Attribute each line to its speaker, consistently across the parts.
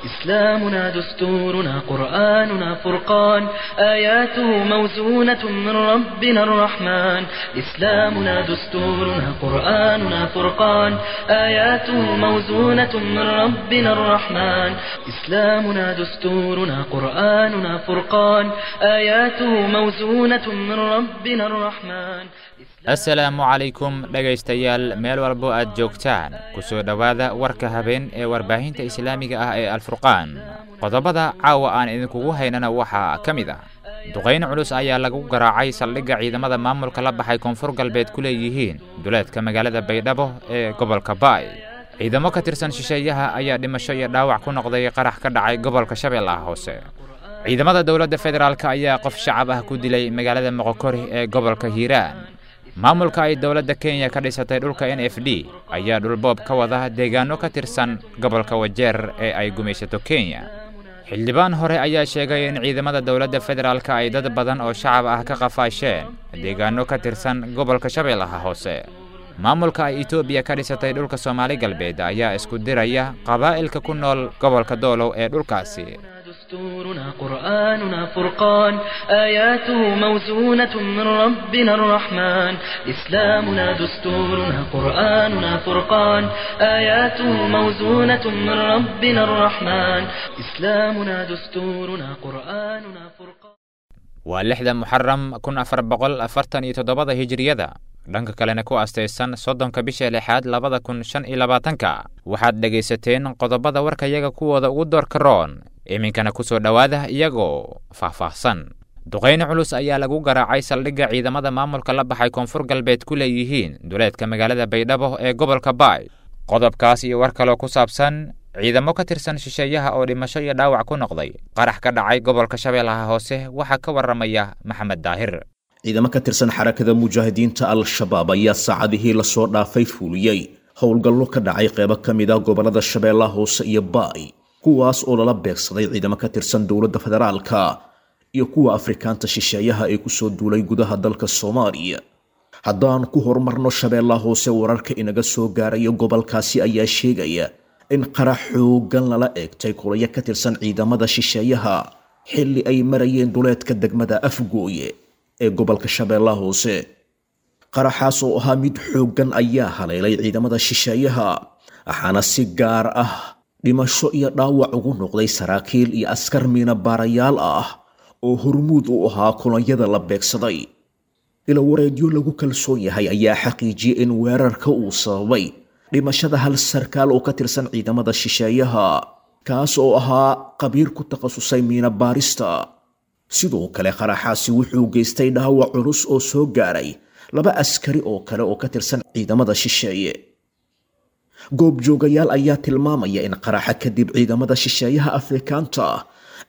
Speaker 1: إسلامنا دستورنا قرآننا فرقان آياته موزونة من ربنا الرحمن إسلامنا دستورنا قرآننا فرقان آياته موزونة من ربنا الرحمن إسلامنا دستورنا قرآننا فرقان آياته موزونة من ربنا الرحمن.
Speaker 2: Assalaamu calaykum dhegaystayaal, meel walbo aad joogtaan, ku soo dhowaada warka habeen ee warbaahinta islaamiga ah ee Alfurqaan. Qodobada caawa aan idinkugu haynana waxaa ka mid ah: duqayn culus ayaa lagu garaacay saldhigga ciidamada maamulka la baxay Koonfur Galbeed ku leeyihiin duleedka magaalada Baydhabo ee gobolka Baay. Ciidamo ka tirsan shisheeyaha ayaa dhimasho iyo dhaawac ku noqday qarax ka dhacay gobolka Shabeellaha Hoose. Ciidamada dowladda federaalk ayaa qof shacab ah ku dilay magaalada Moqokori ee gobolka Hiiraan. Maamulka ay dowladda Kenya ka dhisatay dhulka NFD ayaa dhulboob ka wada deegaano ka tirsan gobolka Wajeer ee ay gumaysato Kenya. Xildhibaan hore ayaa sheegay in ciidamada dowladda federaalk ay dad badan oo shacab ah ka qafaasheen deegaano ka tirsan gobolka Shabeellaha Hoose. Maamulka ay Etoobiya ka dhisatay dhulka Soomaali Galbeed ayaa isku diraya qabaa'ilka ku nool gobolka Doolow ee dhulkaasi.
Speaker 1: دستورنا قرآننا فرقان آياته موزونة من ربنا الرحمن إسلامنا دستورنا قرآننا فرقان آياته موزونة من ربنا الرحمن إسلامنا دستورنا قرآننا فرقان.
Speaker 2: Waa 6da Muxaram 1447da hijiriyada, dhanka kalena ku astaysan 30ka bisha lixaad 2025-ka. Waxaad dhegaysateen qodobada warkayaga kuwooda ugu doorka roon, iminkana ku soo dhowaada iyagoo faahfaahsan. Duqayn culus ayaa lagu garaacay saldhigga ciidamada maamulka la baxay Koonfur Galbeed ku leeyihiin duleedka magaalada Baydhabo ee gobolka Baay. Qodobkaas iyo war kaloo ku saabsan ciidamo ka tirsan shisheeyaha oo dhimasho iyo dhaawac ku noqday qarax ka dhacay gobolka Shabeellaha Hoose waxaa ka warramaya Maxamed Daahir.
Speaker 3: Ciidamo ka tirsan Xarakada Mujaahidiinta Al-Shabaab ayaa saacadihii lasoo dhaafay fuuliyey howlgallo ka dhacay qeybo ka mid ah gobolada Shabeellaha Hoose iyo Baay, kuwaas oo lala beegsaday ciidamo ka tirsan dowladda federaalka iyo kuwa Afrikaanta shisheeyaha ee kusoo duulay gudaha dalka Soomaaliya. Haddaan ku horumarno Shabeellaha Hoose, wararka inaga soo gaaraya gobolkaasi ayaa sheegaya in qarax xoogan lala eegtay kulayo ka tirsan ciidamada shisheeyaha xilli ay marayeen duleedka degmada Afgooye ee gobolka Shabeellaha Hoose. Qaraxaas oo ahaa mid xooggan ayaa haleelay ciidamada shisheeyaha, waxaana si gaar ah dhimasho iyo dhaawac ugu noqday saraakiil iyo askar miina baarayaal ah oo hormuud u ahaa kulanyada la beegsaday. Ilawareedyo lagu kalsoon yahay ayaa xaqiijiyey in weerarka uu sababay dhimashada hal sarkaal oo ka tirsan ciidamada shisheeyaha, kaas oo ahaa qabiir ku takhasusay miina baarista. Sidoo kale qaraxaasi wuxuu geystay dhaawac culus oo soo gaaray laba askari oo kale oo ka tirsan ciidamada shisheeye. Goobjoogayaal ayaa tilmaamaya in qaraxa kadib ciidamada shisheeyaha Afrikaanta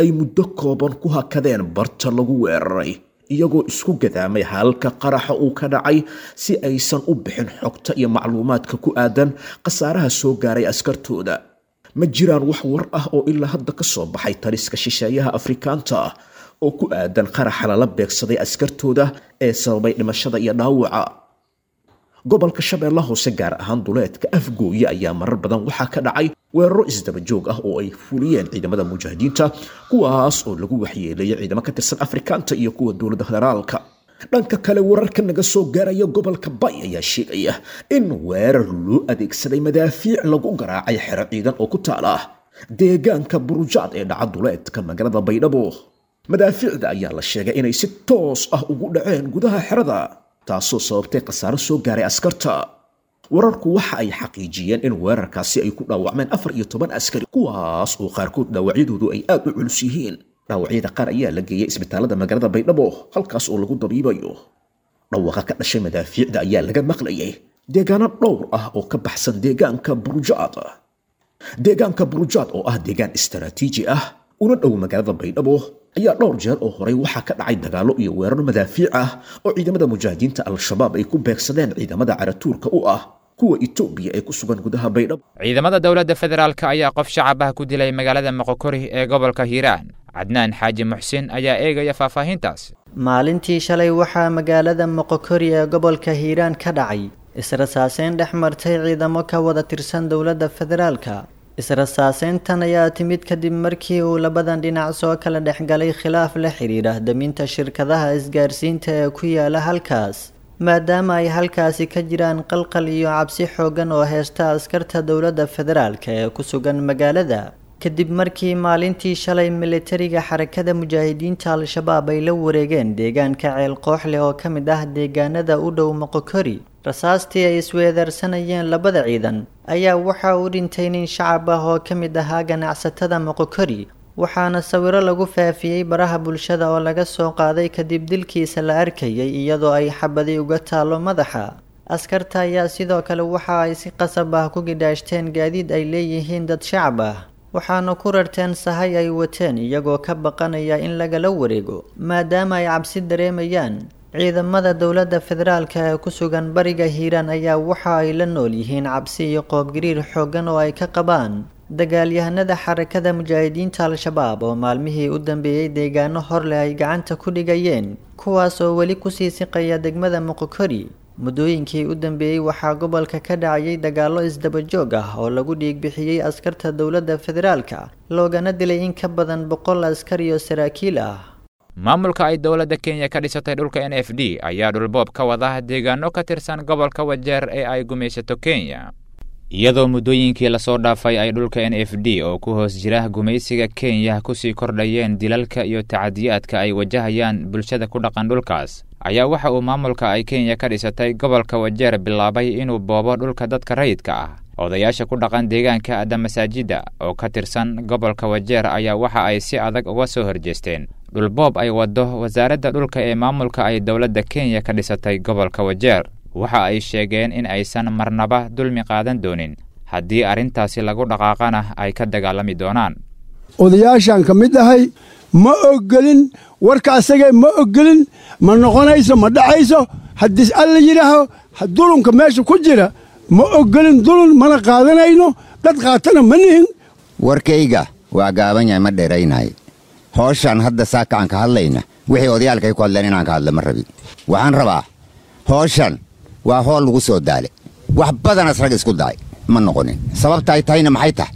Speaker 3: ay muddo kooban ku hakadeen barta lagu weeraray, iyagoo isku gadaamay halka qaraxa uu ka dhacay si aysan u bixin xogta iyo macluumaadka ku aadan khasaaraha soo gaaray askartooda. Ma jiraan wax war ah oo ilaa hadda ka soo baxay taliska shisheeyaha Afrikaanta oo ku aadan qaraxa lala beegsaday askartooda ee sababay dhimashada iyo dhaawaca. Gobolka Shabeellaha Hoose, gaar ahaan duleedka Afgooye, ayaa marar badan waxaa ka dhacay weeraro isdaba joog ah oo ay fuliyeen ciidamada mujaahidiinta, kuwaas oo lagu waxyeeleeyay ciidamo ka tirsan Afrikaanta iyo kuwa dowladda federaalka. Dhanka kale, wararka naga soo gaaraya gobolka Bay ayaa sheegaya in weerar loo adeegsaday madaafiic lagu garaacay xero ciidan oo ku taala deegaanka Burujaad ee dhaca duleedka magaalada Baydhabo. Madaafiicda ayaa la sheegay inay si toos ah ugu dhaceen gudaha xerada, taasoo sababtay khasaaro soo gaaray askarta. Wararku waxa ay xaqiijiyeen in weerarkaasi ay ku dhaawacmeen 14 askari, kuwaas oo qaarkood dhaawacyadoodu ay aad u culus yihiin. Dhaawacyada qaar ayaa la geeyey isbitaalada magaalada Baydhabo, halkaas oo lagu dabiibayo. Dhawaaqa ka dhashay madaafiicda ayaa laga maqlayay deegaano dhowr ah oo ka baxsan deegaanka Burujaad. Deegaanka Burujaad oo ah deegaan istaraatiiji ah una dhow magaalada Baydhabo ayaa dhowr jeer oo horay waxaa ka dhacay dagaallo iyo weeraro madaafiic ah oo ciidamada mujaahidiinta Al-Shabaab ay ku beegsadeen ciidamada caratuurka u ah kuwa Itoobiya ee ku sugan gudaha Baydhabo.
Speaker 2: Ciidamada dowladda federaalk ayaa qof shacab ah ku dilay magaalada Moqokori ee gobolka Hiiraan. Cadnaan Xaaji Muxsin ayaa eegaya faahfaahintaas.
Speaker 4: Maalintii shalay waxaa magaalada Moqokori ee gobolka Hiiraan ka dhacay israsaaseyn dhex martay ciidamo ka wada tirsan dowladda federaalka. Israsaaseyntan ayaa timid kadib markii uu labadan dhinac soo kala dhexgalay khilaaf la xiriira daminta shirkadaha isgaarsiinta ee ku yaala halkaas, maadaama ay halkaasi ka jiraan qalqal iyo cabsi xooggan oo heysta askarta dowladda federaalka ee ku sugan magaalada, kadib markii maalintii shalay militariga Xarakada Mujaahidiinta Al-Shabaab ay la wareegeen deegaanka Ceel Qooxleh oo ka mid ah deegaanada u dhow Moqokori. Rasaastii ay isweedaarsanayeen labada ciidan ayaa waxa uu dhintay nin shacab ah oo ka mid ahaa ganacsatada Moqokori, waxaana sawiro lagu faafiyey baraha bulshada oo laga soo qaaday kadib dilkiisa la arkayay iyadoo ay xabadi uga taalo madaxa. Askarta ayaa sidoo kale waxa ay si qasab ah ku gidhaashteen gaadiid ay leeyihiin dad shacab ah, waxaana ku rarteen sahay ay wateen iyagoo ka baqanaya in lagala wareego maadaama ay cabsi dareemayaan. Ciidamada dowladda federaalka ee ku sugan bariga Hiiraan ayaa waxa ay la nool yihiin cabsi iyo qoobgariir xooggan oo ay ka qabaan dagaalyahanada Xarakada Mujaahidiinta Al-Shabaab oo maalmihii u dambeeyey deegaano horleh ay gacanta ku dhigayeen, kuwaas oo weli kusii siqaya degmada Moqokori. Muddooyinkii u dambeeyey waxaa gobolka ka dhacayay dagaallo isdaba joog ah oo lagu dhiigbixiyey askarta dowladda federaalka, loogana dilay in ka badan 100 askar iyo saraakiil ah.
Speaker 2: Maamulka ay dowladda Kenya ka dhisatay dhulka NFD ayaa dhulboob ka wada deegaano ka tirsan gobolka Wajeer ee ay gumaysato Kenya, iyadoo muddooyinkii lasoo dhaafay ay dhulka NFD oo ku hoos jira gumaysiga Kenya kusii kordhayeen dilalka iyo tacadiyaadka ay wajahayaan bulshada ku dhaqan dhulkaas, ayaa waxa uu maamulka ay Kenya ka dhisatay gobolka Wajeer bilaabay inuu boobo dhulka dadka rayidka ah. Odayaasha ku dhaqan deegaanka Adamasaajida oo ka tirsan gobolka Wajeer ayaa waxa ay si adag uga soo horjeesteen dhulboob ay waddo wasaaradda dhulka ee maamulka ay dowladda Kenya ka dhisatay gobolka Wajeer. Waxa ay sheegeen in aysan marnaba dulmi qaadan doonin, haddii arrintaasi lagu dhaqaaqana ay ka dagaalami doonaan.
Speaker 5: Odayaashaan ka mid ahay, ma ogolin warka asagee, ma ogolin, ma noqonayso, ma dhacayso. Haddii alla yidhaaho dulunka meesha ku jira, ma ogolin dulun, mana qaadanayno, dad qaatana ma nihin.
Speaker 6: Warkayga waa gaaban yahay, ma dheeraynahay. Hooshaan hadda saaka aan ka hadlayna, wixii odayaalkay ku hadleen inaan ka hadla ma rabin. Waxaan rabaa, hooshan waa hool lagu soo daale, wax badanaas rag isku dacay ma noqonin. Sababta ay tahayna maxay tahay?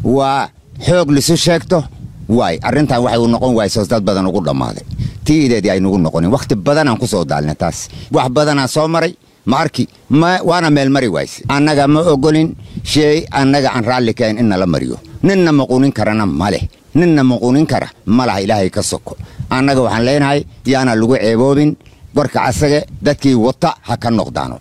Speaker 6: Waa xoog lisu sheegto waay arrintan. Waxay u noqon waaysoos dad badan ugu dhammaaday, tiideedii ay nugu noqonin. Wakhti badanaan ku soo daalna taas, wax badanaan soo maray, ma arki ma waana meel mari wayse. Annaga ma ogolin sheey annaga aan raalli kahayn in nala mariyo. Ninna maquunin karana ma leh, ninna maquunin kara ma laha Ilaahay ka soko. Annaga waxaan leenahay, yaana lagu ceeboobin warka casage, dadkii wata ha ka noqdaano.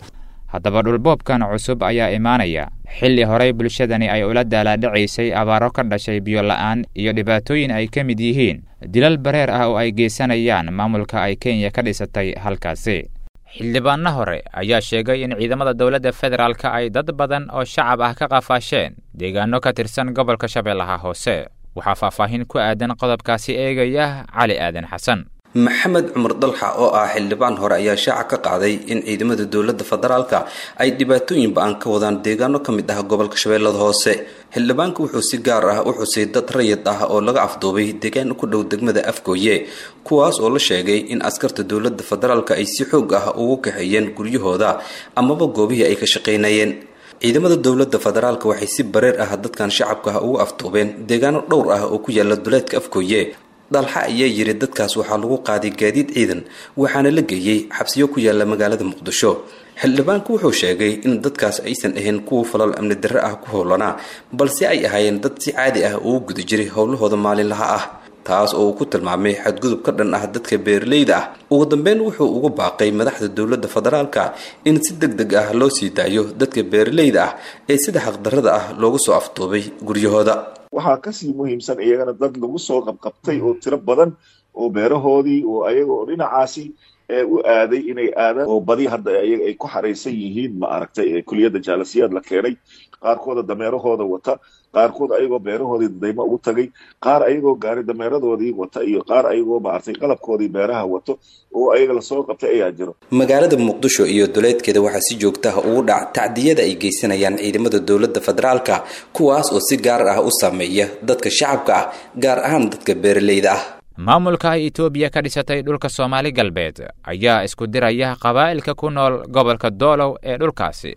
Speaker 2: Haddaba dhulboobkan cusub ayaa imaanaya xilli horey bulshadani ay ula daalaadhacaysay abaaro ka dhashay biyo la'aan iyo dhibaatooyin ay ka mid yihiin dilal bareer ah oo ay geysanayaan maamulka ay Kenya ka dhisatay halkaasi. Xildhibaanno hore ayaa sheegay in ciidamada dowladda federaalka ay dad badan oo shacab ah ka qafaasheen deegaano ka tirsan gobolka Shabeellaha Hoose. Waxaa faahfaahin ku aadan qodobkaasi eegaya Cali Aadan Xasan.
Speaker 7: Maxamed Cumar Dalxa oo ah xildhibaan hore ayaa shaaca ka qaaday in ciidamada dowladda federaalka ay dhibaatooyin ba-an ka wadaan deegaano ka mid ah gobolka Shabeellada Hoose. Xildhibaanku wuxuu si gaar ah u xusay dad rayid ah oo laga afduubay deegaan ku dhow degmada Afgooye, kuwaas oo la sheegay in askarta dowladda federaalka ay si xoog ah ugu kaxeeyeen guryahooda amaba goobihii ay ka shaqaynayeen. Ciidamada dowladda federaalka waxay si bareer ah dadkan shacabka ah ugu afduubeen deegaano dhowr ah oo ku yaala duleedka Afgooye, Dalxa ayaa yiri. Dadkaas waxaa lagu qaaday gaadiid ciidan, waxaana la geeyey xabsiyo ku yaala magaalada Muqdisho. Xildhibaanku wuxuu sheegay in dadkaas aysan ahayn kuwa falal amni darre ah ku howlanaa, balse ay ahaayeen dad si caadi ah ugu guda jiray howlahooda maalinlaha ah, taas oo uu ku tilmaamay xadgudub ka dhan ah dadka beeraleyda ah. Ugu dambeyn wuxuu ugu baaqay madaxda dowladda federaalka in si deg deg ah loo sii daayo dadka beeraleyda ah ee sida xaqdarrada ah loogu soo afduubay guryahooda.
Speaker 8: Waxaa kasii muhiimsan iyagana dad lagu soo qabqabtay oo tiro badan oo beerahoodii oo ayaga oo dhinacaasi u aaday inay aadaan, oo badi hadda ayaga ay ku xaraysan yihiin, ma aragtay, kuliyadda Jaalasiyaad la keenay, qaarkooda dameerahooda wata, qaarkood ayagoo beerahoodii dadaymo ugu tagay, qaar ayagoo gaari dameeradoodii wata, iyo qaar ayagoo maaragtay qalabkoodii beeraha wato oo ayaga lasoo qabtay ayaa jiro.
Speaker 7: Magaalada Muqdisho iyo duleedkeeda waxaa si joogtaha ugu dhac tacdiyada ay geysanayaan ciidamada dowladda federaalka, kuwaas oo si gaar ah u saameeya dadka shacabka ah, gaar ahaan dadka beeraleyda ah.
Speaker 2: Maamulka ay Itoobiya ka dhisatay dhulka Soomaali Galbeed ayaa isku diraya qabaa'ilka ku nool gobolka Doolow ee dhulkaasi.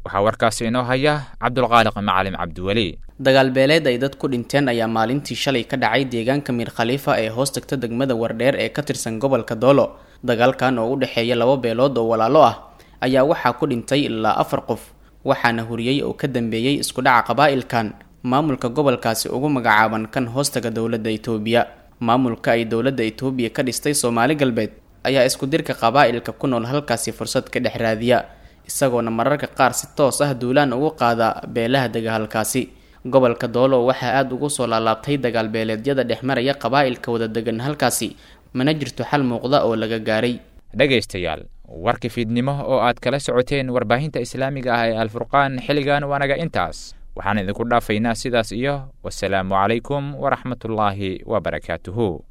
Speaker 2: Waxaa warkaasi inoo haya Cabdulqaaliq Macalim Cabdiweli.
Speaker 9: Dagaal beeleed ay dad ku dhinteen ayaa maalintii shalay ka dhacay deegaanka Miir Khaliifa ee hoos tagta degmada Wardheer ee ka tirsan gobolka Doolo. Dagaalkan oo u dhexeeya laba beelood oo walaalo ah ayaa waxaa ku dhintay ilaa 4 qof, waxaana huriyey oo ka dambeeyey isku dhaca qabaa'ilkan maamulka gobolkaasi ugu magacaaban kan hoostaga dowladda Itoobiya. Maamulka ay dowladda Itoobiya ka dhistay Soomaali Galbeed ayaa isku dirka qabaa'ilka ku nool halkaasi fursad ka dhex raadiya, isagoona mararka qaar si toos ah duulaan ugu qaada beelaha dega halkaasi. Gobolka Doolo waxaa aada ugu soo laalaabtay dagaal beeleedyada dhexmaraya qabaa'ilka wada degan halkaasi, mana jirto xal muuqda oo laga gaaray.
Speaker 2: Dhegaystayaal, warka fiidnimo oo aad kala socoteen warbaahinta islaamiga ah ee Alfurqaan xilligan waanaga intaas. Waxaan idinku dhaafaynaa sidaas iyo wasalaamu calaykum waraxmatullaahi wabarakaatuhu.